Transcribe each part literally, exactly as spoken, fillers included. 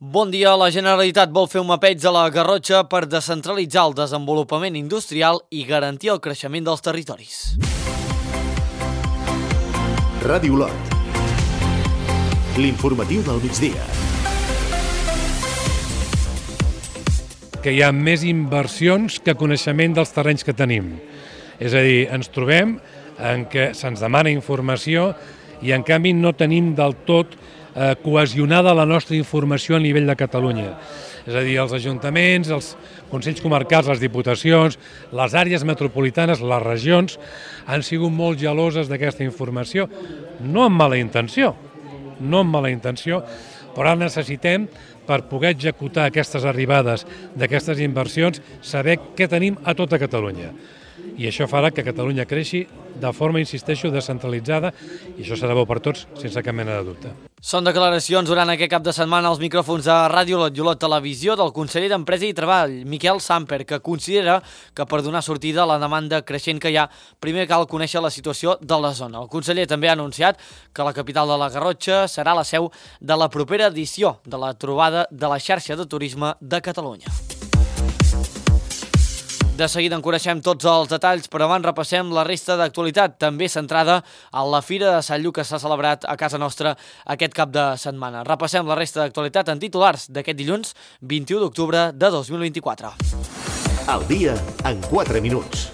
Bon dia. La Generalitat vol fer un mapeig a la Garrotxa per descentralitzar el desenvolupament industrial i garantir el creixement dels territoris. Ràdio Olot. L'informatiu del migdia. Que hi ha més inversions que coneixement dels terrenys que tenim. És a dir, ens trobem en què se'ns demana informació i en canvi no tenim del tot eh, cohesionada la nostra informació a nivell de Catalunya. És a dir, els ajuntaments, els consells comarcals, les diputacions, les àrees metropolitanes, les regions, han sigut molt geloses d'aquesta informació, no amb mala intenció, no amb mala intenció, però ara necessitem, per poder executar aquestes arribades d'aquestes inversions, saber què tenim a tota Catalunya. I això farà que Catalunya creixi de forma, insisteixo, descentralitzada, i això serà bo per tots, sense cap mena de dubte. Són declaracions durant aquest cap de setmana als micròfons de Ràdio Olot i Olot Televisió del conseller d'Empresa i Treball, Miquel Samper, que considera que per donar sortida a la demanda creixent que hi ha, primer cal conèixer la situació de la zona. El conseller també ha anunciat que la capital de la Garrotxa serà la seu de la propera edició de la trobada de la xarxa de turisme de Catalunya. De seguida en coneixem tots els detalls, però abans repassem la resta d'actualitat, també centrada en la Fira de Sant Lluc que s'ha celebrat a casa nostra aquest cap de setmana. Repassem la resta d'actualitat en titulars d'aquest dilluns vint-i-u d'octubre de dos mil vint-i-quatre. Al dia en quatre minuts.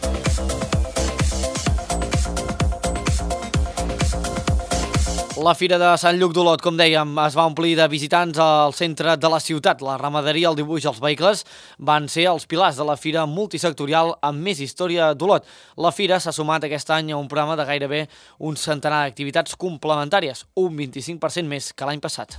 La Fira de Sant Lluc d'Olot, com dèiem, es va omplir de visitants al centre de la ciutat. La ramaderia, el dibuix i els vehicles van ser els pilars de la fira multisectorial amb més història d'Olot. La fira s'ha sumat aquest any a un programa de gairebé un centenar d'activitats complementàries, un vint-i-cinc per cent més que l'any passat.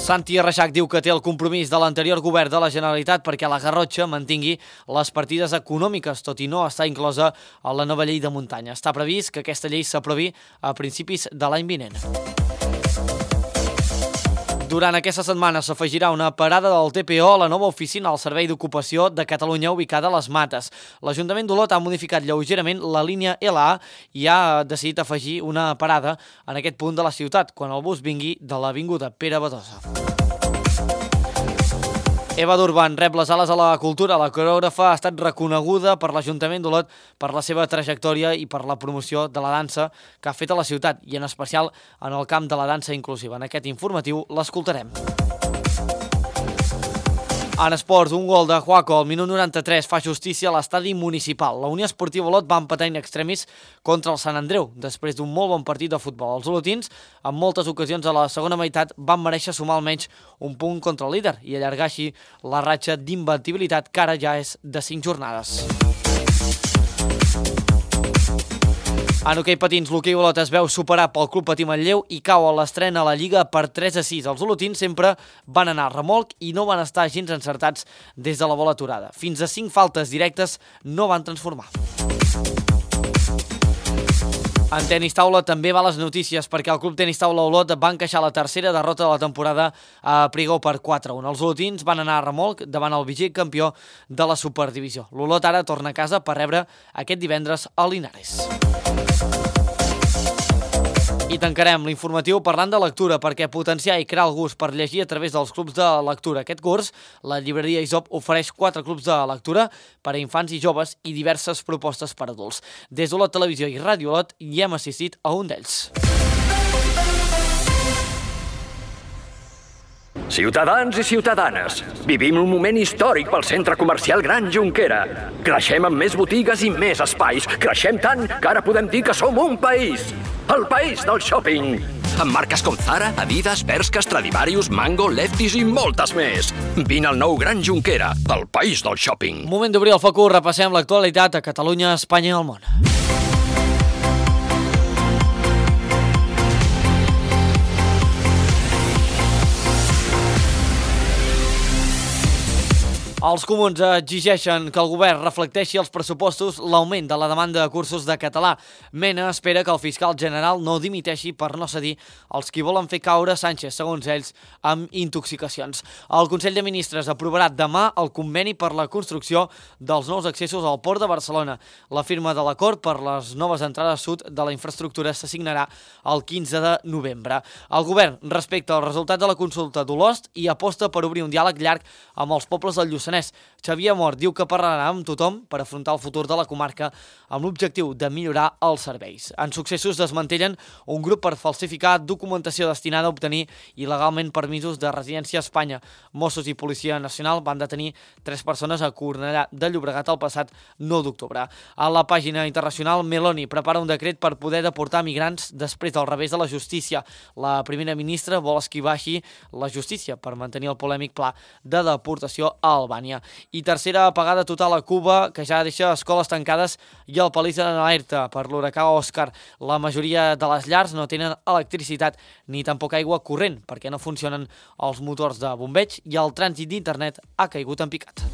Santi Reixac diu que té el compromís de l'anterior govern de la Generalitat perquè la Garrotxa mantingui les partides econòmiques, tot i no estar inclosa a la nova llei de muntanya. Està previst que aquesta llei s'aprovi a principis de l'any vinent. Durant aquesta setmana s'afegirà una parada del T P O a la nova oficina al Servei d'Ocupació de Catalunya ubicada a les Mates. L'Ajuntament d'Olot ha modificat lleugerament la línia L A i ha decidit afegir una parada en aquest punt de la ciutat quan el bus vingui de l'avinguda Pere Badosa. Eva Durban rep les ales a la cultura. La coreògrafa ha estat reconeguda per l'Ajuntament d'Olot per la seva trajectòria i per la promoció de la dansa que ha fet a la ciutat i en especial en el camp de la dansa inclusiva. En aquest informatiu l'escoltarem. En esports, un gol de Juaco al minut noranta-tres fa justícia a l'estadi municipal. La Unió Esportiva Olot va empatar in extremis contra el Sant Andreu, després d'un molt bon partit de futbol. Els olotins, en moltes ocasions a la segona meitat, van mereixer sumar almenys un punt contra el líder i allargar així la ratxa d'inventibilitat que ara ja és de cinc jornades. En hoquei patins, l'hoquei Olot es veu superar pel Club Patí Manlleu i cau a l'estrena a la Lliga per tres a sis. Els olotins sempre van anar a remolc i no van estar gens encertats des de la bola aturada. Fins a cinc faltes directes no van transformar. En tenis taula també va les notícies perquè el Club Tenis Taula Olot va encaixar la tercera derrota de la temporada a Prigó per quatre a un. Els olotins van anar a remolc davant el vigent campió de la Superdivisió. L'Olot ara torna a casa per rebre aquest divendres a Linares. I tancarem l'informatiu parlant de lectura perquè potenciar i crear el gust per llegir a través dels clubs de lectura. Aquest curs, la llibreria Isop ofereix quatre clubs de lectura per a infants i joves i diverses propostes per a adults. Des d'Olot Televisió i Ràdio Olot hi hem assistit a un d'ells. Ciutadans i ciutadanes, vivim un moment històric pel centre comercial Gran Jonquera. Creixem amb més botigues i més espais. Creixem tant que ara podem dir que som un país. El país del shopping. Amb marques com Zara, Adidas, Bershka, Stradivarius, Mango, Lefties i moltes més. Vine al nou Gran Jonquera, el país del shopping. Moment d'obrir el focus, repassem l'actualitat a Catalunya, Espanya i el món. Els comuns exigeixen que el govern reflecteixi als pressupostos l'augment de la demanda de cursos de català. Mena espera que el fiscal general no dimiteixi per no cedir als qui volen fer caure Sánchez, segons ells, amb intoxicacions. El Consell de Ministres aprovarà demà el conveni per la construcció dels nous accessos al Port de Barcelona. La firma de l'acord per les noves entrades sud de la infraestructura s'assignarà el quinze de novembre. El govern respecta el resultat de la consulta d'Olost i aposta per obrir un diàleg llarg amb els pobles del Lluçanès. Xavier Mort diu que parlarà amb tothom per afrontar el futur de la comarca amb l'objectiu de millorar els serveis. En successos desmantellen un grup per falsificar documentació destinada a obtenir il·legalment permisos de residència a Espanya. Mossos i Policia Nacional van detenir tres persones a Cornellà de Llobregat el passat nou d'octubre. A la pàgina internacional, Meloni prepara un decret per poder deportar migrants després del revés de la justícia. La primera ministra vol esquivar així la justícia per mantenir el polèmic pla de deportació a Albània. I tercera apagada total a Cuba, que ja deixa escoles tancades i el país en alerta per l'huracà Òscar. La majoria de les llars no tenen electricitat ni tampoc aigua corrent perquè no funcionen els motors de bombeig i el trànsit d'internet ha caigut en picat.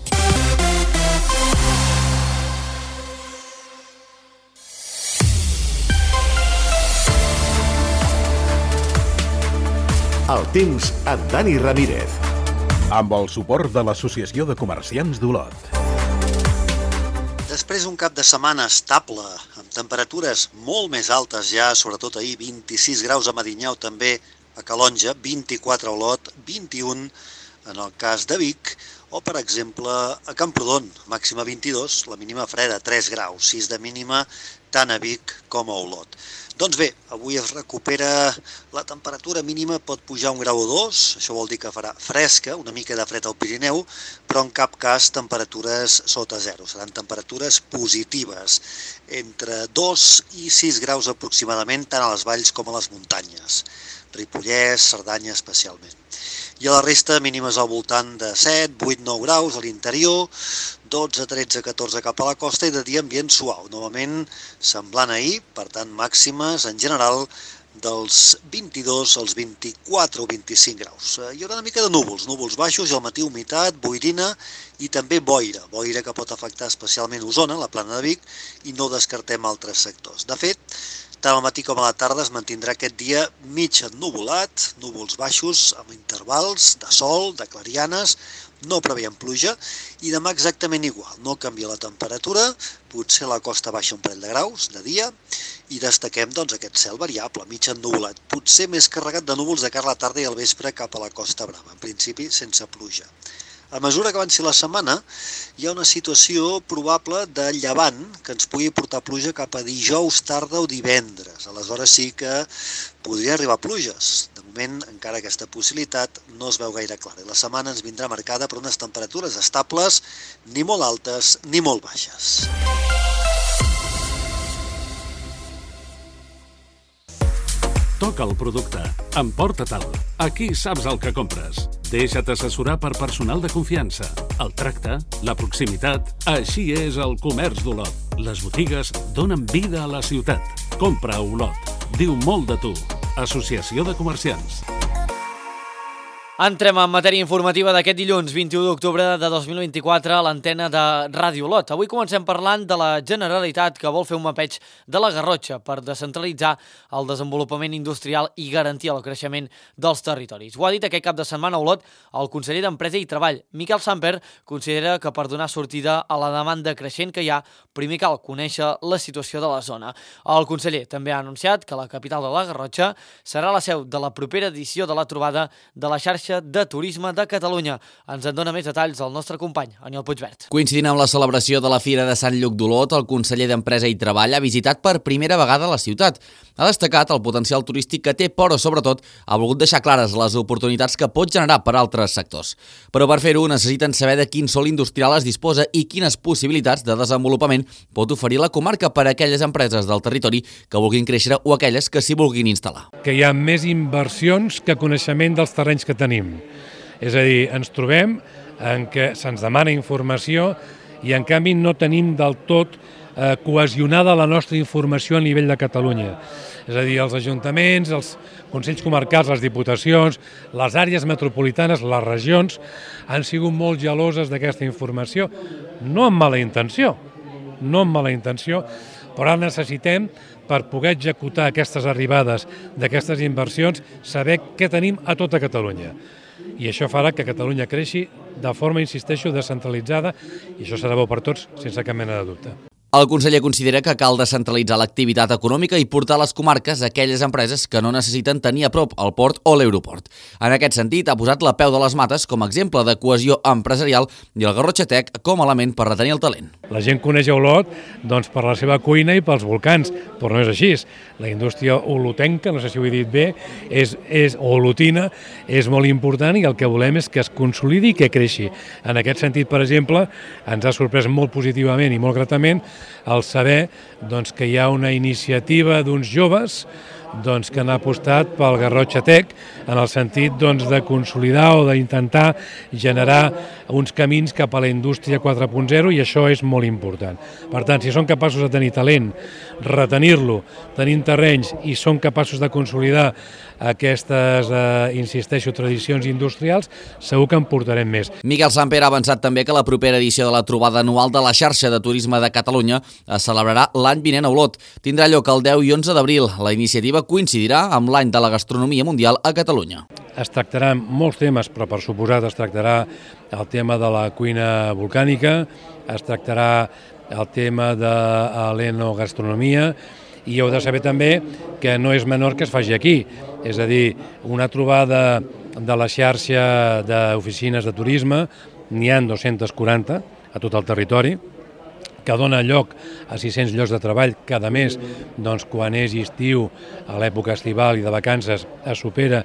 El temps amb Dani Ramírez. Amb el suport de l'Associació de Comerciants d'Olot. Després d'un cap de setmana estable, amb temperatures molt més altes ja, sobretot ahir, vint-i-sis graus a Medinyà o també a Calonja, vint-i-quatre a Olot, vint-i-un en el cas de Vic, o per exemple a Camprodon, màxima vint-i-dos, la mínima freda, tres graus, sis de mínima tant a Vic com a Olot. Doncs bé, avui es recupera la temperatura mínima, pot pujar un grau o dos, això vol dir que farà fresca, una mica de fred al Pirineu, però en cap cas temperatures sota zero, seran temperatures positives, entre dos i sis graus aproximadament, tant a les valls com a les muntanyes, Ripollès, Cerdanya especialment. I a la resta mínimes al voltant de set, vuit, nou graus a l'interior, dotze, tretze, catorze cap a la costa i de dia ambient suau, novament semblant a ahir, per tant màximes en general dels vint-i-dos als vint-i-quatre o vint-i-cinc graus. Hi haurà una mica de núvols, núvols baixos i al matí humitat, boirina i també boira, boira que pot afectar especialment Osona, la plana de Vic, i no descartem altres sectors. De fet, tant al matí com a la tarda es mantindrà aquest dia mig ennuvolat, núvols baixos amb intervals de sol, de clarianes, no preveiem pluja, i demà exactament igual, no canvia la temperatura, potser la costa baixa un parell de graus de dia, i destaquem doncs, aquest cel variable, mig ennuvolat, potser més carregat de núvols de cara a la tarda i al vespre cap a la Costa Brava, en principi sense pluja. A mesura que avanci la setmana, hi ha una situació probable de llevant que ens pugui portar pluja cap a dijous, tarda o divendres. Aleshores sí que podria arribar pluges. De moment, encara aquesta possibilitat no es veu gaire clara. La setmana ens vindrà marcada per unes temperatures estables, ni molt altes ni molt baixes. Toca el producte. Emporta-te'l. Aquí saps el que compres. Deixa't assessorar per personal de confiança. El tracte, la proximitat, així és el comerç d'Olot. Les botigues donen vida a la ciutat. Compra a Olot. Diu molt de tu. Associació de Comerciants. Entrem en matèria informativa d'aquest dilluns vint-i-u d'octubre de dos mil vint-i-quatre a l'antena de Ràdio Olot. Avui comencem parlant de la Generalitat que vol fer un mapeig de la Garrotxa per descentralitzar el desenvolupament industrial i garantir el creixement dels territoris. Ho ha dit aquest cap de setmana a Olot el conseller d'Empresa i Treball. Miquel Samper considera que per donar sortida a la demanda creixent que hi ha, primer cal conèixer la situació de la zona. El conseller també ha anunciat que la capital de la Garrotxa serà la seu de la propera edició de la trobada de la xarxa de Turisme de Catalunya. Ens en dona més detalls el nostre company, Aniol Puigvert. Coincidint amb la celebració de la Fira de Sant Lluc d'Olot, el conseller d'Empresa i Treball ha visitat per primera vegada la ciutat. Ha destacat el potencial turístic que té, però sobretot ha volgut deixar clares les oportunitats que pot generar per a altres sectors. Però per fer-ho necessiten saber de quin sòl industrial es disposa i quines possibilitats de desenvolupament pot oferir la comarca per a aquelles empreses del territori que vulguin créixer o aquelles que s'hi vulguin instal·lar. Que hi ha més inversions que coneixement dels terrenys que tenim. És a dir, ens trobem en què se'ns demana informació i en canvi no tenim del tot eh, cohesionada la nostra informació a nivell de Catalunya. És a dir, els ajuntaments, els consells comarcals, les diputacions, les àrees metropolitanes, les regions, han sigut molt geloses d'aquesta informació, no amb mala intenció, no amb mala intenció, però ara necessitem, per poder executar aquestes arribades d'aquestes inversions, saber què tenim a tota Catalunya. I això farà que Catalunya creixi de forma, insisteixo, descentralitzada, i això serà bo per tots, sense cap mena de dubte. El conseller considera que cal descentralitzar l'activitat econòmica i portar a les comarques aquelles empreses que no necessiten tenir a prop el port o l'aeroport. En aquest sentit, ha posat la peu de les mates com a exemple de cohesió empresarial i el Garrotxa Tech com a element per retenir el talent. La gent coneix Olot doncs, per la seva cuina i pels volcans, però no és així. La indústria olotenca, no sé si ho he dit bé, és, és olotina, és molt important i el que volem és que es consolidi i que creixi. En aquest sentit, per exemple, ens ha sorprès molt positivament i molt gratament el saber doncs, que hi ha una iniciativa d'uns joves doncs, que han apostat pel Garrotxa Tech en el sentit doncs, de consolidar o d'intentar generar uns camins cap a la indústria quatre punt zero i això és molt important. Per tant, si són capaços de tenir talent, retenir-lo, tenim terrenys i són capaços de consolidar aquestes, eh, insisteixo, tradicions industrials, segur que en portarem més. Miquel Samper ha avançat també que la propera edició de la trobada anual de la xarxa de turisme de Catalunya es celebrarà l'any vinent a Olot. Tindrà lloc el deu i onze d'abril. La iniciativa coincidirà amb l'any de la gastronomia mundial a Catalunya. Es tractaran molts temes, però per suposat es tractarà el tema de la cuina volcànica, es tractarà el tema de l'enogastronomia i heu de saber també que no és menor que es faci aquí. És a dir, una trobada de la xarxa d'oficines de turisme, n'hi ha dos-cents quaranta a tot el territori, que dona lloc a sis-cents llocs de treball cada mes, doncs quan és estiu, a l'època estival i de vacances es supera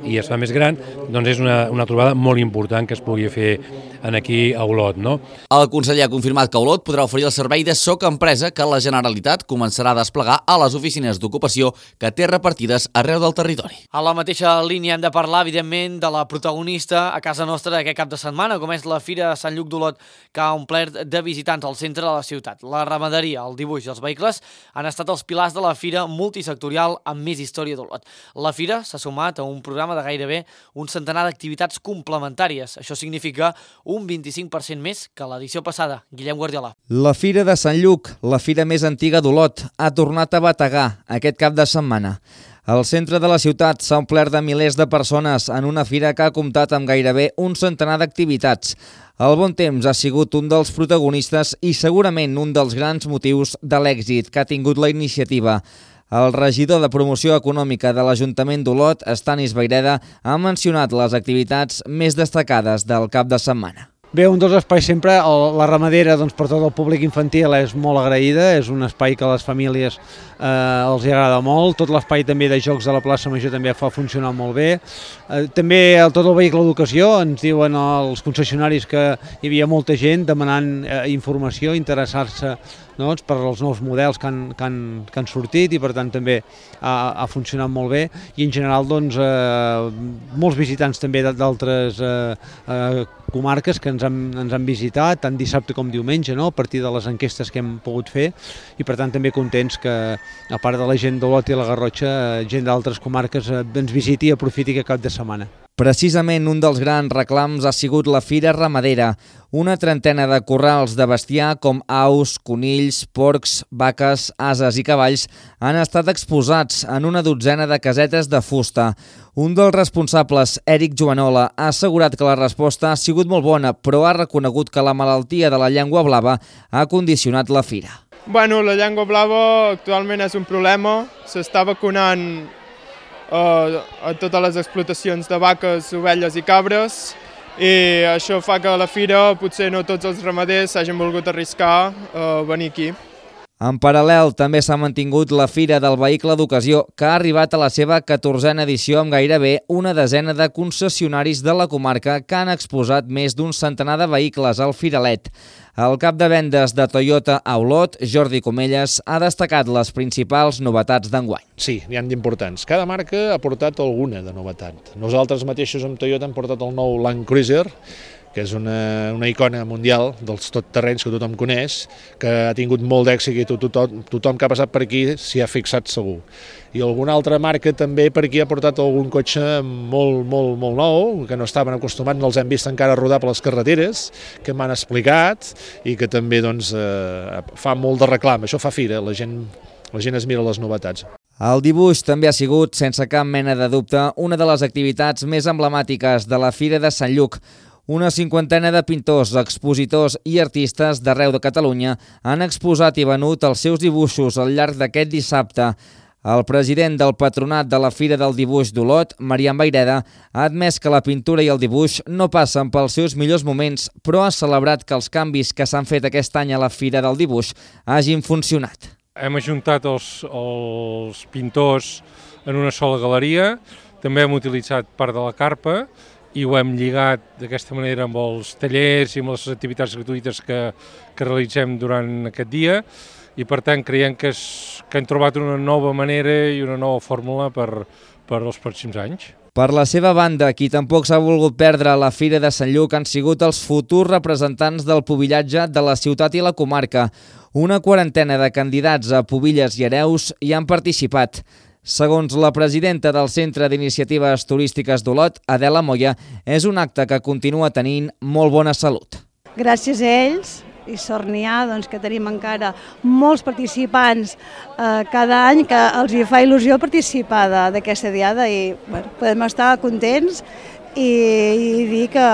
i es fa més gran, doncs és una, una trobada molt important que es pugui fer en aquí a Olot, no? El conseller ha confirmat que Olot podrà oferir el servei de Soc Empresa que la Generalitat començarà a desplegar a les oficines d'ocupació que té repartides arreu del territori. A la mateixa línia hem de parlar, evidentment, de la protagonista a casa nostra aquest cap de setmana, com és la Fira de Sant Lluc d'Olot, que ha omplert de visitants al centre de la ciutat. La ramaderia, el dibuix i els vehicles han estat els pilars de la fira multisectorial amb més història d'Olot. La fira s'ha sumat a un programa de gairebé un centenar d'activitats complementàries. Això significa un vint-i-cinc per cent més que l'edició passada. Guillem Guardiola. La Fira de Sant Lluc, la fira més antiga d'Olot, ha tornat a bategar aquest cap de setmana. El centre de la ciutat s'ha omplert de milers de persones en una fira que ha comptat amb gairebé un centenar d'activitats. El bon temps ha sigut un dels protagonistes i segurament un dels grans motius de l'èxit que ha tingut la iniciativa. El regidor de Promoció Econòmica de l'Ajuntament d'Olot, Estanis Vayreda, ha mencionat les activitats més destacades del cap de setmana. Bé, un dels espais sempre, la ramadera doncs, per tot el públic infantil és molt agraïda, és un espai que a les famílies eh, els agrada molt, tot l'espai també de jocs de la plaça Major també fa funcionar molt bé. Eh, també el, tot el vehicle d'educació, ens diuen els concessionaris que hi havia molta gent demanant eh, informació, interessar-se doncs, per als nous models que han, que, han, que han sortit i per tant també ha, ha funcionat molt bé i en general doncs, eh, molts visitants també d'altres eh, eh, comarques que ens han, ens han visitat tant dissabte com diumenge, no? A partir de les enquestes que hem pogut fer i per tant també contents que a part de la gent d'Olot i la Garrotxa, gent d'altres comarques eh, ens visiti i aprofiti aquest cap de setmana. Precisament un dels grans reclams ha sigut la Fira Ramadera, una trentena de corrals de bestiar com aus, conills, porcs, vaques, ases i cavalls han estat exposats en una dotzena de casetes de fusta. Un dels responsables, Eric Joanola, ha assegurat que la resposta ha sigut molt bona, però ha reconegut que la malaltia de la llengua blava ha condicionat la fira. Bueno, la llengua blava actualment és un problema, s'està vacunant a totes les explotacions de vaques, ovelles i cabres i això fa que a la fira potser no tots els ramaders s'hagin volgut arriscar a venir aquí. En paral·lel, també s'ha mantingut la Fira del Vehicle d'Ocasió, que ha arribat a la seva catorzena edició amb gairebé una desena de concessionaris de la comarca que han exposat més d'un centenar de vehicles al firalet. El cap de vendes de Toyota a Olot, Jordi Comelles, ha destacat les principals novetats d'enguany. Sí, n'hi ha d'importants. Cada marca ha portat alguna de novetat. Nosaltres mateixos amb Toyota hem portat el nou Land Cruiser, que és una, una icona mundial dels totterrenys que tothom coneix, que ha tingut molt d'èxit i tothom, tothom que ha passat per aquí s'hi ha fixat segur. I alguna altra marca també per aquí ha portat algun cotxe molt, molt, molt nou, que no estaven acostumats, no els hem vist encara rodar per les carreteres, que m'han explicat i que també doncs, eh, fa molt de reclam. Això fa fira, la gent, la gent es mira les novetats. El dibuix també ha sigut, sense cap mena de dubte, una de les activitats més emblemàtiques de la Fira de Sant Lluc. Una cinquantena de pintors, expositors i artistes d'arreu de Catalunya han exposat i venut els seus dibuixos al llarg d'aquest dissabte. El president del patronat de la Fira del Dibuix d'Olot, Marian Vayreda, ha admès que la pintura i el dibuix no passen pels seus millors moments, però ha celebrat que els canvis que s'han fet aquest any a la Fira del Dibuix hagin funcionat. Hem ajuntat els, els pintors en una sola galeria, també hem utilitzat part de la carpa i ho hem lligat d'aquesta manera amb els tallers i amb les activitats gratuïtes que, que realitzem durant aquest dia i per tant creiem que, és, que hem trobat una nova manera i una nova fórmula per, per als pròxims anys. Per la seva banda, qui tampoc s'ha volgut perdre a la Fira de Sant Lluc han sigut els futurs representants del pubillatge de la ciutat i la comarca. Una quarantena de candidats a pubilles i hereus hi han participat. Segons la presidenta del Centre d'Iniciatives Turístiques d'Olot, Adela Moya, és un acte que continua tenint molt bona salut. Gràcies a ells, i sort n'hi ha, doncs, que tenim encara molts participants eh, cada any que els hi fa il·lusió participar d'aquesta diada i bueno, podem estar contents i, i dir que,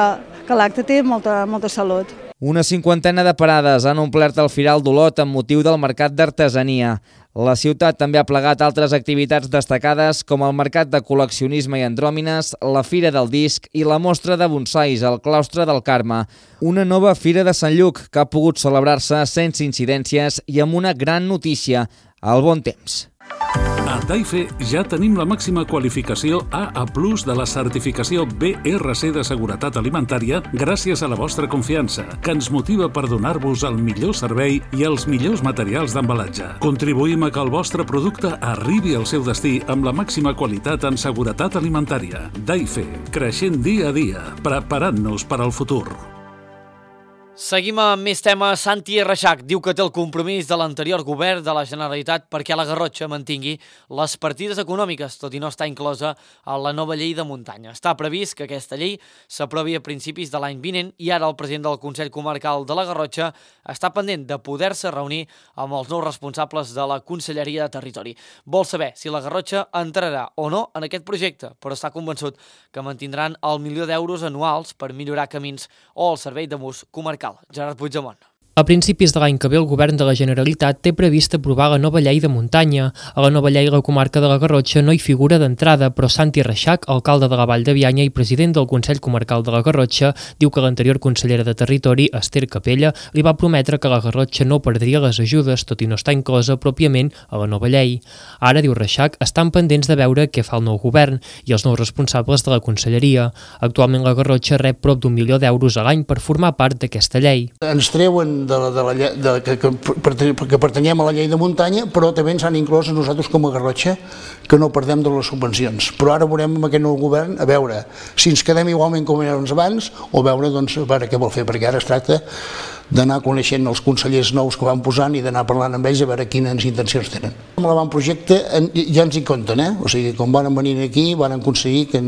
que l'acte té molta, molta salut. Una cinquantena de parades han omplert el Firal d'Olot amb motiu del Mercat d'Artesania. La ciutat també ha plegat altres activitats destacades com el Mercat de Col·leccionisme i Andròmines, la Fira del Disc i la Mostra de Bonsais al Claustre del Carme. Una nova Fira de Sant Lluc que ha pogut celebrar-se sense incidències i amb una gran notícia, el bon temps. A Daife ja tenim la màxima qualificació A A plus de la certificació B R C de seguretat alimentària gràcies a la vostra confiança, que ens motiva per donar-vos el millor servei i els millors materials d'embalatge. Contribuïm a que el vostre producte arribi al seu destí amb la màxima qualitat en seguretat alimentària. Daife, creixent dia a dia, preparant-nos per al futur. Seguim amb més temes. Santi Reixac diu que té el compromís de l'anterior govern de la Generalitat perquè la Garrotxa mantingui les partides econòmiques, tot i no estar inclosa a la nova llei de muntanya. Està previst que aquesta llei s'aprovi a principis de l'any vinent i ara el president del Consell Comarcal de la Garrotxa està pendent de poder-se reunir amb els nous responsables de la Conselleria de Territori. Vol saber si la Garrotxa entrarà o no en aquest projecte, però està convençut que mantindran el milió d'euros anuals per millorar camins o el servei de bus comarcal. Gerard Puigdemont. A principis de l'any que ve el govern de la Generalitat té previst aprovar la nova llei de muntanya. A la nova llei la comarca de la Garrotxa no hi figura d'entrada, però Santi Reixac, alcalde de la Vall de Bianya i president del Consell Comarcal de la Garrotxa, diu que l'anterior consellera de Territori, Esther Capella, li va prometre que la Garrotxa no perdria les ajudes, tot i no estar inclosa pròpiament a la nova llei. Ara, diu Reixac, estan pendents de veure què fa el nou govern i els nous responsables de la conselleria. Actualment la Garrotxa rep prop d'un milió d'euros a l'any per formar part d'aquesta llei. Ens treuen de la, de la, de, que, que, que pertanyem a la llei de muntanya, però també ens han inclòs a nosaltres com a Garrotxa que no perdem de les subvencions. Però ara veurem amb aquest nou govern a veure si ens quedem igualment com érem abans o veure, doncs, a veure què vol fer, perquè ara es tracta d'anar coneixent els consellers nous que van posant i d'anar parlant amb ells a veure quines intencions tenen. Amb l'avantprojecte ja ens hi compten, eh? O sigui, quan van venir aquí van aconseguir que,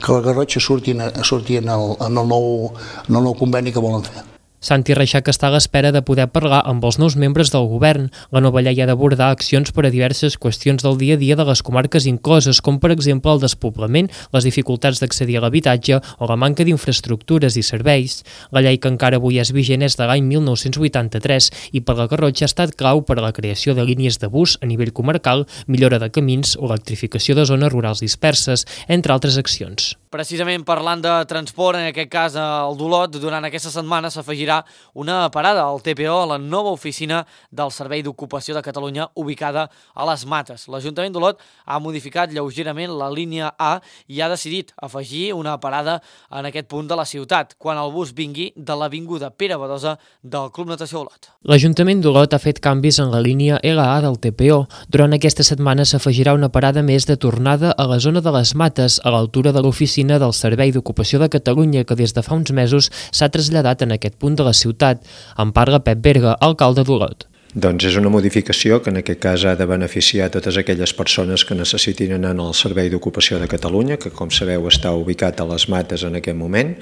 que la Garrotxa surti, surti en, el, en, el nou, en el nou conveni que volen fer. Santi Reixac està a l'espera de poder parlar amb els nous membres del govern. La nova llei ha d'abordar accions per a diverses qüestions del dia a dia de les comarques incloses, com per exemple el despoblament, les dificultats d'accedir a l'habitatge o la manca d'infraestructures i serveis. La llei que encara avui és vigent és de l'any mil nou-cents vuitanta-tres i per la Garrotxa ha estat clau per a la creació de línies de bus a nivell comarcal, millora de camins o electrificació de zones rurals disperses, entre altres accions. Precisament parlant de transport, en aquest cas al d'Olot, durant aquesta setmana s'afegirà una parada al T P O a la nova oficina del Servei d'Ocupació de Catalunya ubicada a les Mates. L'Ajuntament d'Olot ha modificat lleugerament la línia A i ha decidit afegir una parada en aquest punt de la ciutat, quan el bus vingui de l'avinguda Pere Badosa del Club Natació Olot. L'Ajuntament d'Olot ha fet canvis en la línia L A del T P O. Durant aquesta setmana s'afegirà una parada més de tornada a la zona de les Mates, a l'altura de l'oficina l'oficina del Servei d'Ocupació de Catalunya, que des de fa uns mesos s'ha traslladat en aquest punt de la ciutat. En parla Pep Berga, alcalde d'Olot. Doncs és una modificació que en aquest cas ha de beneficiar totes aquelles persones que necessitin anar al Servei d'Ocupació de Catalunya, que com sabeu està ubicat a les Mates en aquest moment,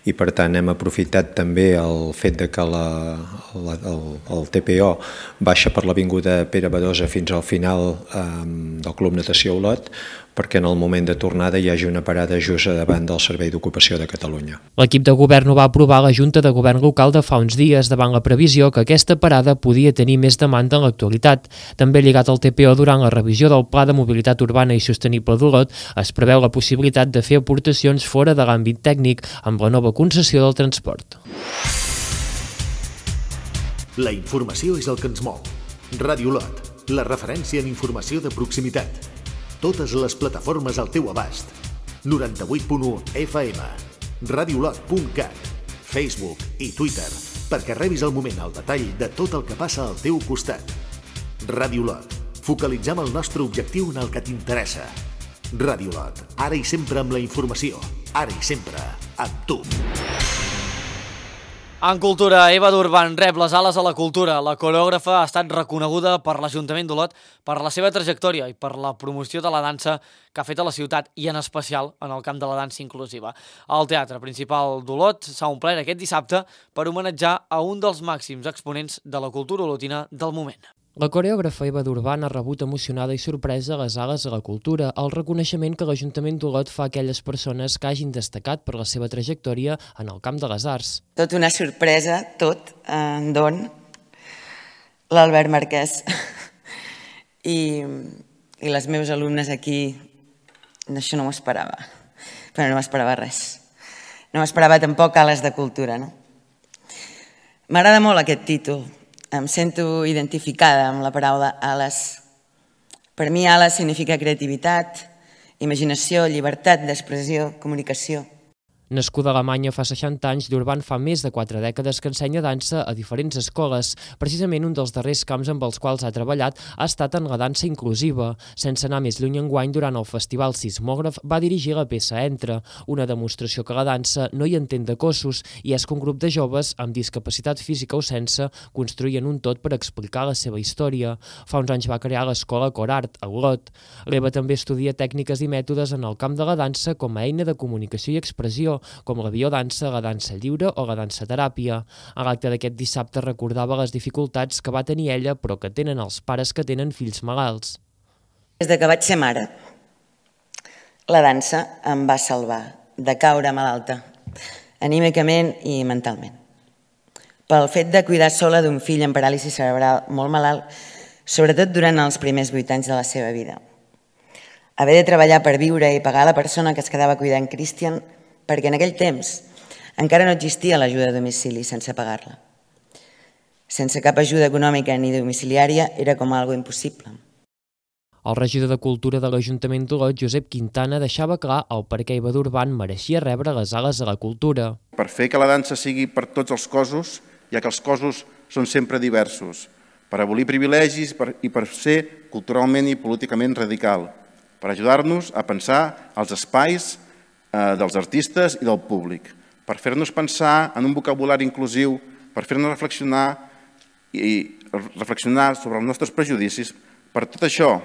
i per tant hem aprofitat també el fet de que la, la, el, el T P O baixa per l'avinguda Pere Badosa fins al final eh, del Club Natació Olot, perquè en el moment de tornada hi hagi una parada just davant del Servei d'Ocupació de Catalunya. L'equip de govern ho va aprovar a la Junta de Govern local de fa uns dies davant la previsió que aquesta parada podia tenir més demanda en l'actualitat. També lligat al T P O, durant la revisió del Pla de Mobilitat Urbana i Sostenible d'Olot, es preveu la possibilitat de fer aportacions fora de l'àmbit tècnic amb la nova concessió del transport. La informació és el que ens mou. Ràdio Olot, la referència en informació de proximitat. Totes les plataformes al teu abast. noranta-vuit punt u F M, radiolot punt cat, Facebook i Twitter, perquè rebis al moment al detall de tot el que passa al teu costat. Ràdio Olot, focalitzem el nostre objectiu en el que t'interessa. Ràdio Olot, ara i sempre amb la informació, ara i sempre amb tu. En cultura, Eva Durban rep les ales a la cultura. La coreògrafa ha estat reconeguda per l'Ajuntament d'Olot per la seva trajectòria i per la promoció de la dansa que ha fet a la ciutat i en especial en el camp de la dansa inclusiva. El Teatre Principal d'Olot s'ha omplert aquest dissabte per homenatjar a un dels màxims exponents de la cultura olotina del moment. La coreògrafa Eva Durban ha rebut emocionada i sorpresa les ales a la cultura, el reconeixement que l'Ajuntament d'Olot fa a aquelles persones que hagin destacat per la seva trajectòria en el camp de les arts. Tot una sorpresa, tot, en don, l'Albert Marquès i, i les meves alumnes aquí, això no m'ho esperava, però no m'esperava res. No m'esperava tampoc ales de cultura, no? M'agrada molt aquest títol. Em sento identificada amb la paraula ales. Per mi, ales significa creativitat, imaginació, llibertat d'expressió, comunicació. Nascuda a Alemanya fa seixanta anys, Durban fa més de quatre dècades que ensenya dansa a diferents escoles. Precisament un dels darrers camps amb els quals ha treballat ha estat en la dansa inclusiva. Sense anar més lluny enguany, durant el Festival Sismògraf va dirigir la peça Entra, una demostració que la dansa no hi entén de cossos i és que un grup de joves amb discapacitat física o sense construïen un tot per explicar la seva història. Fa uns anys va crear l'escola Corart, a Olot. L'Eva també estudia tècniques i mètodes en el camp de la dansa com a eina de comunicació i expressió, com la biodansa, la dansa lliure o la dansa teràpia. A l'acte d'aquest dissabte recordava les dificultats que va tenir ella, però que tenen els pares que tenen fills malalts. Des de que vaig ser mare, la dansa em va salvar de caure malalta, anímicament i mentalment. Pel fet de cuidar sola d'un fill amb paràlisi cerebral molt malalt, sobretot durant els primers vuit anys de la seva vida. Haver de treballar per viure i pagar a la persona que es quedava cuidant Christian, perquè en aquell temps encara no existia l'ajuda a domicili sense pagar-la. Sense cap ajuda econòmica ni domiciliària era com algo impossible. El regidor de Cultura de l'Ajuntament d'Olot, Josep Quintana, deixava clar el per què Eva Durban mereixia rebre les ales a la cultura. Per fer que la dansa sigui per tots els cossos, ja que els cossos són sempre diversos, per abolir privilegis i per ser culturalment i políticament radical, per ajudar-nos a pensar els espais dels artistes i del públic, per fer-nos pensar en un vocabulari inclusiu, per fer-nos reflexionar i reflexionar sobre els nostres prejudicis. Per tot això,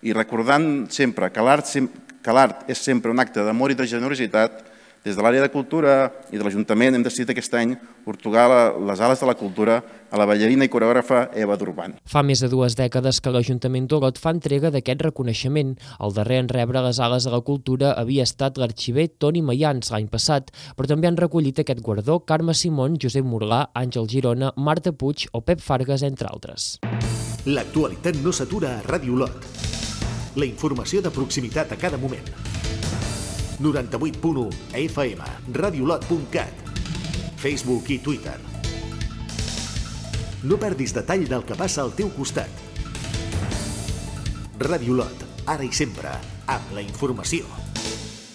i recordant sempre que l'art és sempre un acte d'amor i de generositat, des de l'àrea de cultura i de l'Ajuntament hem decidit aquest any ortogar les ales de la cultura a la ballarina i coreògrafa Eva Durban. Fa més de dues dècades que l'Ajuntament d'Olot fa entrega d'aquest reconeixement. El darrer en rebre les ales de la cultura havia estat l'arxiver Toni Mayans l'any passat, però també han recollit aquest guardó Carme Simón, Josep Morgà, Àngel Girona, Marta Puig o Pep Fargas, entre altres. L'actualitat no s'atura a Ràdio Olot. La informació de proximitat a cada moment. noranta-vuit punt u F M, radiolot punt cat, Facebook i Twitter. No perdis detall del que passa al teu costat. Ràdio Olot, ara i sempre, amb la informació.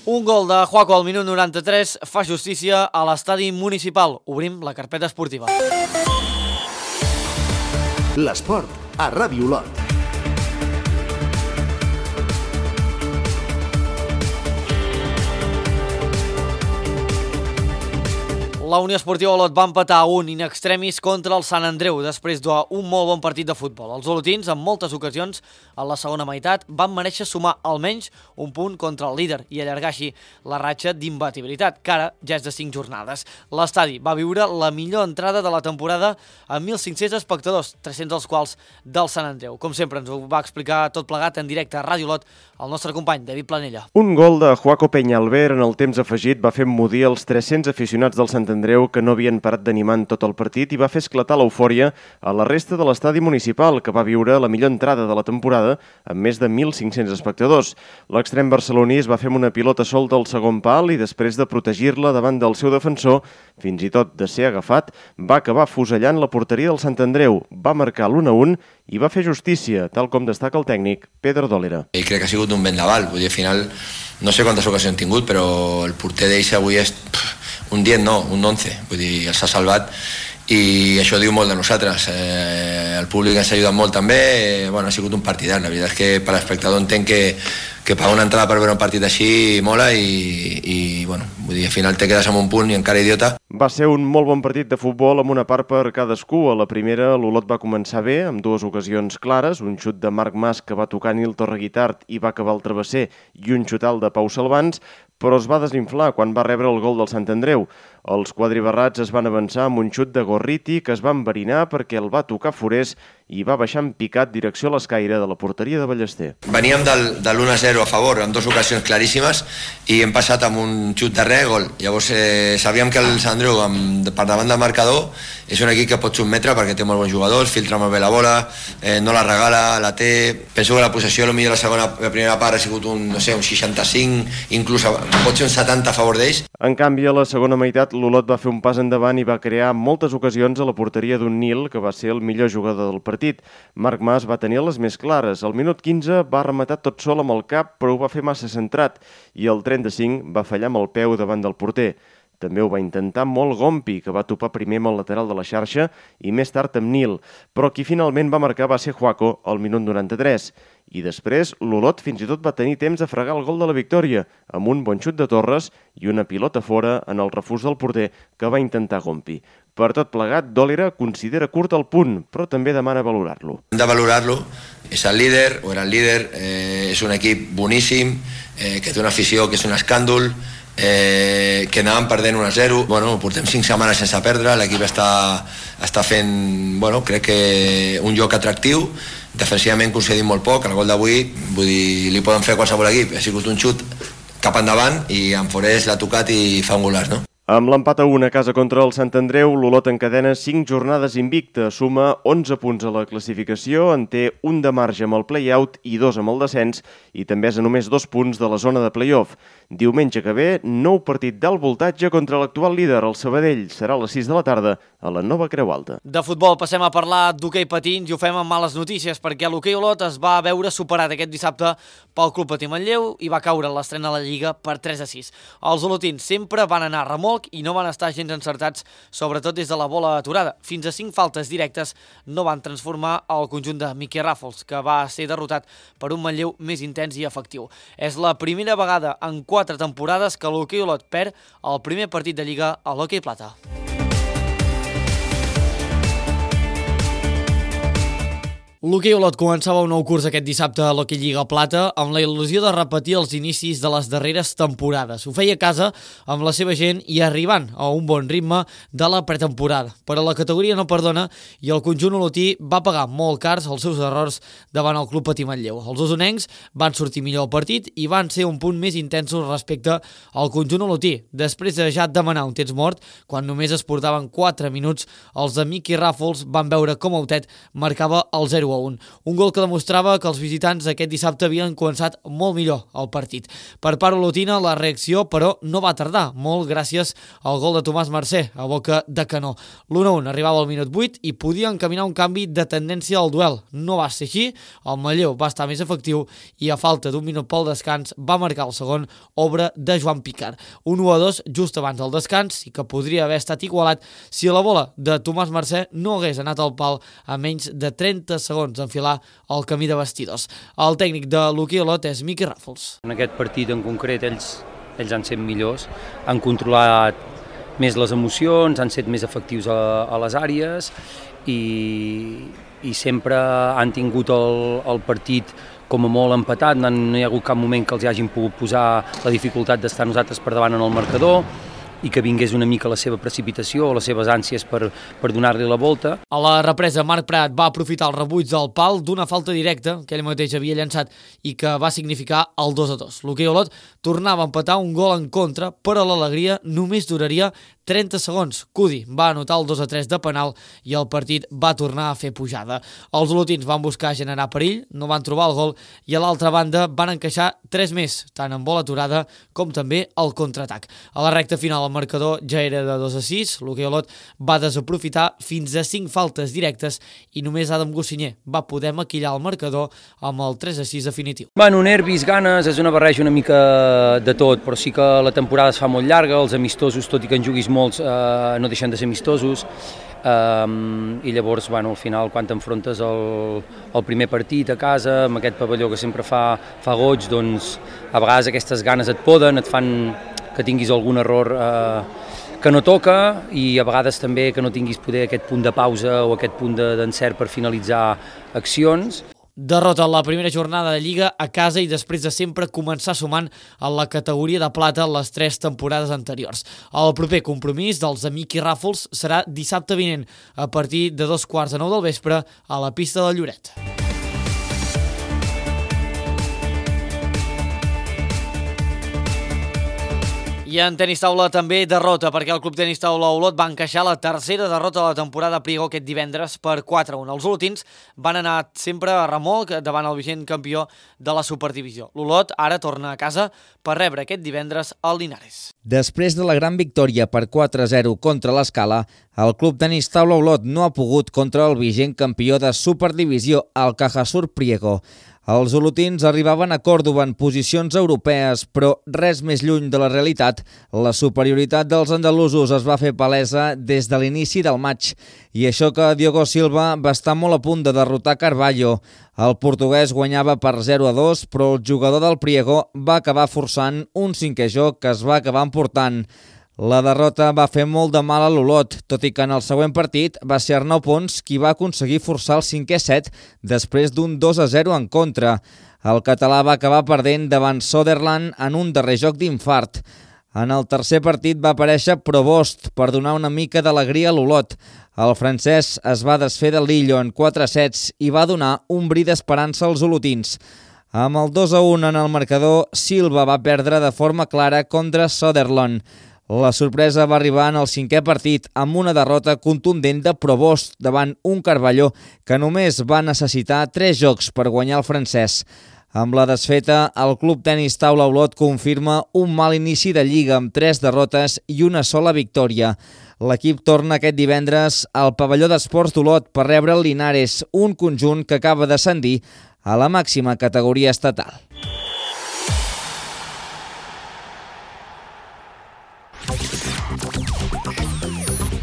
Un gol de Juaco al minut noranta-tres fa justícia a l'estadi municipal. Obrim la carpeta esportiva. L'esport a Ràdio Olot. La Unió Esportiva Olot va empatar a un in extremis contra el Sant Andreu després d'un molt bon partit de futbol. Els olotins, en moltes ocasions, a la segona meitat, van mereixer sumar almenys un punt contra el líder i allargar així la ratxa d'imbatibilitat, que ara ja és de cinc jornades. L'estadi va viure la millor entrada de la temporada amb mil cinc-cents espectadors, tres-cents dels quals del Sant Andreu. Com sempre, ens ho va explicar tot plegat en directe a Ràdio Olot el nostre company David Planella. Un gol de Joaco Peñalver en el temps afegit va fer emmudir els tres-cents aficionats del Sant Andreu que no havien parat d'animar en tot el partit i va fer esclatar l'eufòria a la resta de l'estadi municipal, que va viure la millor entrada de la temporada amb més de mil cinc-cents espectadors. L'extrem barceloní es va fer amb una pilota solta al segon pal i després de protegir-la davant del seu defensor, fins i tot de ser agafat, va acabar fusellant la porteria del Sant Andreu, va marcar l'u a un i va fer justícia, tal com destaca el tècnic Pedro Dólera. I crec que ha sigut un vendaval, vull dir, al final no sé quantes ocasions han tingut, però el porter d'ells avui és un diez, no, un onze, vull dir, s'ha salvat i això diu molt de nosaltres. Eh, el públic ens ha ajudat molt també, eh, bueno, ha sigut un partidar, la veritat és que per l'espectador entenc que, que pagar una entrada per veure un partit així mola i, i bueno, vull dir, al final te quedes amb un punt i encara idiota. Va ser un molt bon partit de futbol amb una part per cadascú. A la primera l'Olot va començar bé, amb dues ocasions clares, un xut de Marc Mas que va tocar Nil Torreguitart i va acabar el travesser i un xutal de Pau Salvans, però es va desinflar quan va rebre el gol del Sant Andreu. Els quadribarrats es van avançar amb un xut de Gorriti que es va enverinar perquè el va tocar Forés i va baixar en picat direcció a l'escaire de la porteria de Ballester. Veníem del, de l'u a zero a favor, amb dues ocasions claríssimes, i hem passat amb un xut de res, gol. Llavors eh, sabíem que el Sant Andreu, amb, per davant del marcador, és un equip que pot sotmetre perquè té molt bons jugadors, filtra molt bé la bola, eh, no la regala, la té. Penso que la possessió, potser la segona, la primera part ha sigut un, no sé, un seixanta-cinc, inclús pot ser un setanta a favor d'ells. En canvi, a la segona meitat, l'Olot va fer un pas endavant i va crear moltes ocasions a la porteria d'un Nil, que va ser el millor jugador del partit. Marc Mas va tenir les més clares. Al minut quinze va rematar tot sol amb el cap, però ho va fer massa centrat, i al trenta-cinc va fallar amb el peu davant del porter. També ho va intentar molt Gompi, que va topar primer amb el lateral de la xarxa i més tard amb Nil, però qui finalment va marcar va ser Joaco al minut noranta-tres. I després l'Olot fins i tot va tenir temps de fregar el gol de la victòria, amb un bon xut de Torres i una pilota fora en el refús del porter que va intentar Gompi. Per tot plegat, Dólera considera curt el punt, però també demana valorar-lo. Hem de valorar-lo, és el líder, o era el líder, eh, és un equip boníssim, eh, que té una afició que és un escàndol, eh, que anàvem perdent un a zero. Bueno, portem cinc setmanes sense perdre, l'equip està, està fent, bueno, crec que un joc atractiu, defensivament concedim molt poc, el gol d'avui, vull dir, li poden fer a qualsevol equip, ha sigut un xut cap endavant i en Forés l'ha tocat i fa un golaç, no? Amb l'empat a un a casa contra el Sant Andreu, l'Olot encadena cinc jornades invicta, suma onze punts a la classificació, en té un de marge amb el play-out i dos amb el descens, i també és a només dos punts de la zona de play-off. Diumenge que ve, nou partit d'alt voltatge contra l'actual líder, el Sabadell. Serà a les sis de la tarda a la Nova Creu Alta. De futbol passem a parlar d'hoquei patins i ho fem amb males notícies perquè l'hoquei Olot es va veure superat aquest dissabte pel Club Patí Manlleu i va caure en l'estrena a la Lliga per tres a sis. Els olotins sempre van anar a remolc i no van estar gens encertats, sobretot des de la bola aturada. Fins a cinc faltes directes no van transformar el conjunt de Miqui Ràfols, que va ser derrotat per un Manlleu més intens i efectiu. És la primera vegada en quatre temporades que l'hoquei Olot perd el primer partit de Lliga a l'hoquei plata. L'hoquei Olot començava un nou curs aquest dissabte a l'Hoquei Lliga Plata amb la il·lusió de repetir els inicis de les darreres temporades. Ho feia a casa amb la seva gent i arribant a un bon ritme de la pretemporada. Però la categoria no perdona i el conjunt olotí va pagar molt cars els seus errors davant el Club Patí Manlleu. Els osonencs van sortir millor al partit i van ser un punt més intensos respecte al conjunt olotí. Després de ja demanar un temps mort, quan només es portaven quatre minuts, els de Miqui Ràfols van veure com Autet marcava el zero a un. Un gol que demostrava que els visitants aquest dissabte havien començat molt millor el partit. Per part olotina, la reacció, però, no va tardar, molt gràcies al gol de Tomàs Mercè, a boca de canó. l'u a un arribava al minut vuit i podia encaminar un canvi de tendència al duel. No va ser així, el Manlleu va estar més efectiu i a falta d'un minut pel descans va marcar el segon, obra de Joan Picard. Un u a dos just abans del descans i que podria haver estat igualat si la bola de Tomàs Mercè no hagués anat al pal a menys de trenta segons enfilar el camí de vestidors. El tècnic de l'hoquei Olot és Miqui Ràfols. En aquest partit en concret ells, ells han set millors, han controlat més les emocions, han set més efectius a, a les àrees i, i sempre han tingut el, el partit com a molt empatat, no, no hi ha hagut cap moment que els hagin pogut posar la dificultat d'estar nosaltres per davant en el marcador i que vingués una mica la seva precipitació o les seves ànsies per, per donar-li la volta. A la represa, Marc Prat va aprofitar el rebuig del pal d'una falta directa que ell mateix havia llançat i que va significar el dos a dos. L'Hoquei Olot tornava a empatar un gol en contra, però l'alegria només duraria trenta segons. Cudi va anotar el dos a tres de penal i el partit va tornar a fer pujada. Els olotins van buscar generar perill, no van trobar el gol i a l'altra banda van encaixar tres més, tant en bola aturada com també el contraatac. A la recta final el marcador ja era de dos a sis, l'Hoquei Olot va desaprofitar fins a cinc faltes directes i només Adam Gossinyer va poder maquillar el marcador amb el tres a sis definitiu. Bueno, nervis, ganes, és una barreja una mica de tot, però sí que la temporada es fa molt llarga, els amistosos, tot i que en juguis molts, eh, no deixen de ser amistosos, um, i llavors, bueno, al final, quan t'enfrontes al, al primer partit a casa, amb aquest pavelló que sempre fa, fa goig, doncs a vegades aquestes ganes et poden, et fan que tinguis algun error eh, que no toca i a vegades també que no tinguis poder aquest punt de pausa o aquest punt d'encert per finalitzar accions. Derrota en la primera jornada de Lliga a casa i després de sempre començar sumant en la categoria de plata les tres temporades anteriors. El proper compromís dels Amic i Ràfols serà dissabte vinent a partir de dos quarts de nou del vespre a la pista de Lloret. I en tenis taula també derrota, perquè el Club Tenis Taula Olot va encaixar la tercera derrota de la temporada a Priego aquest divendres per quatre a un. Els olotins van anar sempre a remolc davant el vigent campió de la Superdivisió. L'Olot ara torna a casa per rebre aquest divendres al Linares. Després de la gran victòria per quatre a zero contra l'Escala, el Club Tenis Taula Olot no ha pogut contra el vigent campió de Superdivisió, el Cajasur Priego. Els olotins arribaven a Còrdova en posicions europees, però res més lluny de la realitat. La superioritat dels andalusos es va fer palesa des de l'inici del maig, i això que Diogo Silva va estar molt a punt de derrotar Carballo. El portuguès guanyava per zero a dos, però el jugador del Priego va acabar forçant un cinquè joc que es va acabar emportant. La derrota va fer molt de mal a l'Olot, tot i que en el següent partit va ser Arnau Pons qui va aconseguir forçar el cinquè set després d'un dos a zero en contra. El català va acabar perdent davant Soderland en un darrer joc d'infart. En el tercer partit va aparèixer Provost per donar una mica d'alegria a l'Olot. El francès es va desfer de Lillo en quatre sets i va donar un bri d'esperança als olotins. Amb el dos a un en el marcador, Silva va perdre de forma clara contra Soderland. La sorpresa va arribar en el cinquè partit amb una derrota contundent de Provost davant un Carballo que només va necessitar tres jocs per guanyar el francès. Amb la desfeta, el Club Tenis Taula Olot confirma un mal inici de Lliga amb tres derrotes i una sola victòria. L'equip torna aquest divendres al pavelló d'esports d'Olot per rebre el Linares, un conjunt que acaba d'ascendir a la màxima categoria estatal.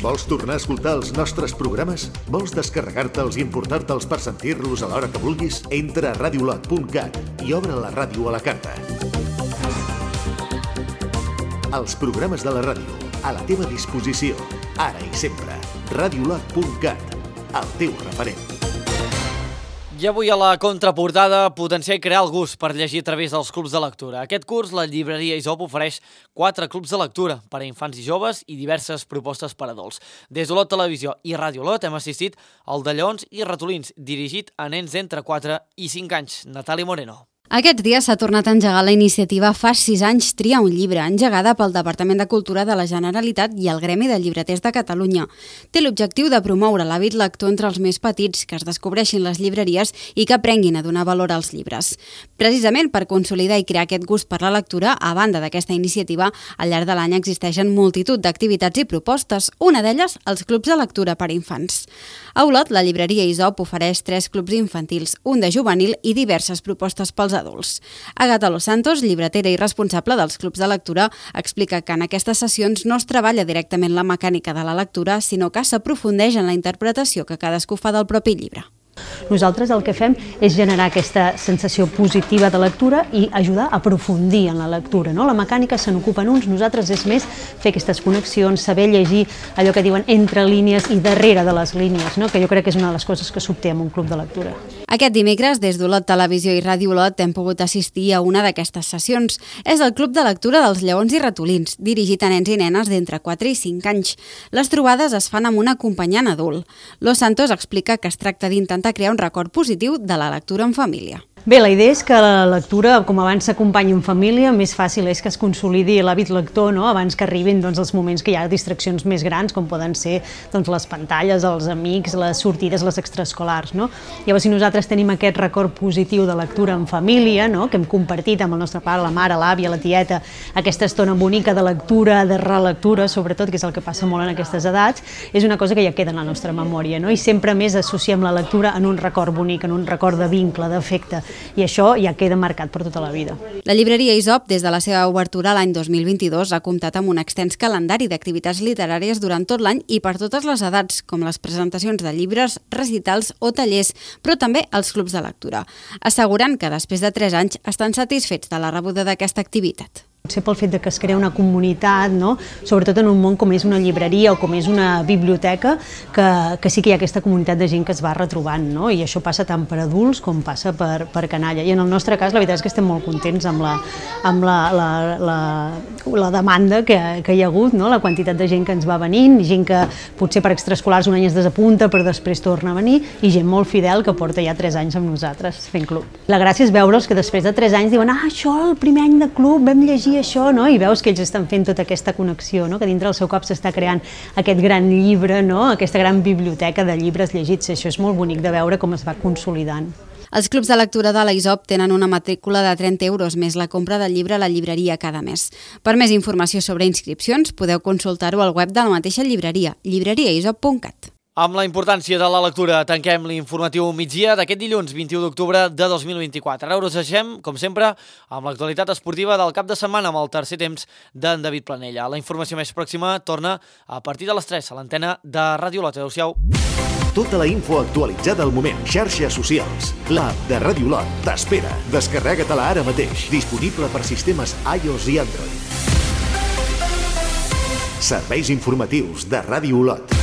Vols tornar a escoltar els nostres programes? Vols descarregar-te'ls i importar-te'ls per sentir-los a l'hora que vulguis? Entra a radiolot punt cat i obre la ràdio a la carta. Els programes de la ràdio, a la teva disposició, ara i sempre. radiolot punt cat, el teu referent. I avui a la contraportada, potenciar i crear el gust per llegir a través dels clubs de lectura. Aquest curs, la llibreria Isop ofereix quatre clubs de lectura per a infants i joves i diverses propostes per a adults. Des d'Olot Televisió i Ràdio Olot hem assistit al de Lleons i Ratolins, dirigit a nens d'entre quatre i cinc anys. Natàlia Moreno. Aquests dies s'ha tornat a engegar la iniciativa Fa sis anys tria un llibre, engegada pel Departament de Cultura de la Generalitat i el Gremi de Llibreters de Catalunya. Té l'objectiu de promoure l'hàbit lector entre els més petits, que es descobreixin les llibreries i que aprenguin a donar valor als llibres. Precisament per consolidar i crear aquest gust per la lectura, a banda d'aquesta iniciativa, al llarg de l'any existeixen multitud d'activitats i propostes, una d'elles els clubs de lectura per a infants. A Olot, la llibreria Isop ofereix tres clubs infantils, un de juvenil i diverses propostes pels adults. Agatha Los Santos, llibretera i responsable dels clubs de lectura, explica que en aquestes sessions no es treballa directament la mecànica de la lectura, sinó que s'aprofundeix en la interpretació que cadascú fa del propi llibre. Nosaltres el que fem és generar aquesta sensació positiva de lectura i ajudar a aprofundir en la lectura. No? La mecànica se n'ocupen uns, nosaltres és més fer aquestes connexions, saber llegir allò que diuen entre línies i darrere de les línies, no? Que jo crec que és una de les coses que s'obté en un club de lectura. Aquest dimecres, des d'Olot Televisió i Ràdio Olot, hem pogut assistir a una d'aquestes sessions. És el Club de Lectura dels Lleons i Ratolins, dirigit a nens i nenes d'entre quatre i cinc anys. Les trobades es fan amb un acompanyant adult. Los Santos explica que es tracta d'intentar crear un record positiu de la lectura en família. Bé, la idea és que la lectura, com abans s'acompanya en família, més fàcil és que es consolidi l'hàbit lector, no? Abans que arribin doncs, els moments que hi ha distraccions més grans, com poden ser doncs, les pantalles, els amics, les sortides, les extraescolars. No? Llavors, si nosaltres tenim aquest record positiu de lectura en família, no? Que hem compartit amb el nostre pare, la mare, l'àvia, la tieta, aquesta estona bonica de lectura, de relectura, sobretot, que és el que passa molt en aquestes edats, és una cosa que ja queda en la nostra memòria, no? I sempre més associem la lectura en un record bonic, en un record de vincle, d'afecte, i això ja queda marcat per tota la vida. La llibreria Isop, des de la seva obertura l'any dos mil vint-i-dos, ha comptat amb un extens calendari d'activitats literàries durant tot l'any i per totes les edats, com les presentacions de llibres, recitals o tallers, però també els clubs de lectura, assegurant que després de tres anys estan satisfets de la rebuda d'aquesta activitat. Potser pel fet de que es crea una comunitat, no? Sobretot en un món com és una llibreria o com és una biblioteca, que, que sí que hi ha aquesta comunitat de gent que es va retrobant, no? I això passa tant per adults com passa per, per canalla. I en el nostre cas la veritat és que estem molt contents amb la, amb la, la, la, la demanda que, que hi ha hagut, no? La quantitat de gent que ens va venint, gent que potser per extraescolars un any es desapunta però després torna a venir, i gent molt fidel que porta ja tres anys amb nosaltres fent club. La gràcia és veure'ls que després de tres anys diuen ah, això el primer any de club vam llegir això, no? I veus que ells estan fent tota aquesta connexió, no? Que dintre del seu cap s'està creant aquest gran llibre, no? Aquesta gran biblioteca de llibres llegits. Això és molt bonic de veure com es va consolidant. Els clubs de lectura de la Isop tenen una matrícula de trenta euros més la compra del llibre a la llibreria cada mes. Per més informació sobre inscripcions podeu consultar-ho al web de la mateixa llibreria, llibreria isop punt cat. Amb la importància de la lectura tanquem l'informatiu migdia d'aquest dilluns vint-i-u d'octubre de dos mil vint-i-quatre. Ara us deixem, com sempre, amb l'actualitat esportiva del cap de setmana amb el tercer temps d'en David Planella. La informació més pròxima torna a partir de les tres a l'antena de Ràdio Olot. Adéu-siau. Tota la info actualitzada al moment. Xarxes socials. L'app de Ràdio Olot t'espera. Descarrega-te-la ara mateix. Disponible per sistemes iOS i Android. Serveis informatius de Ràdio Olot.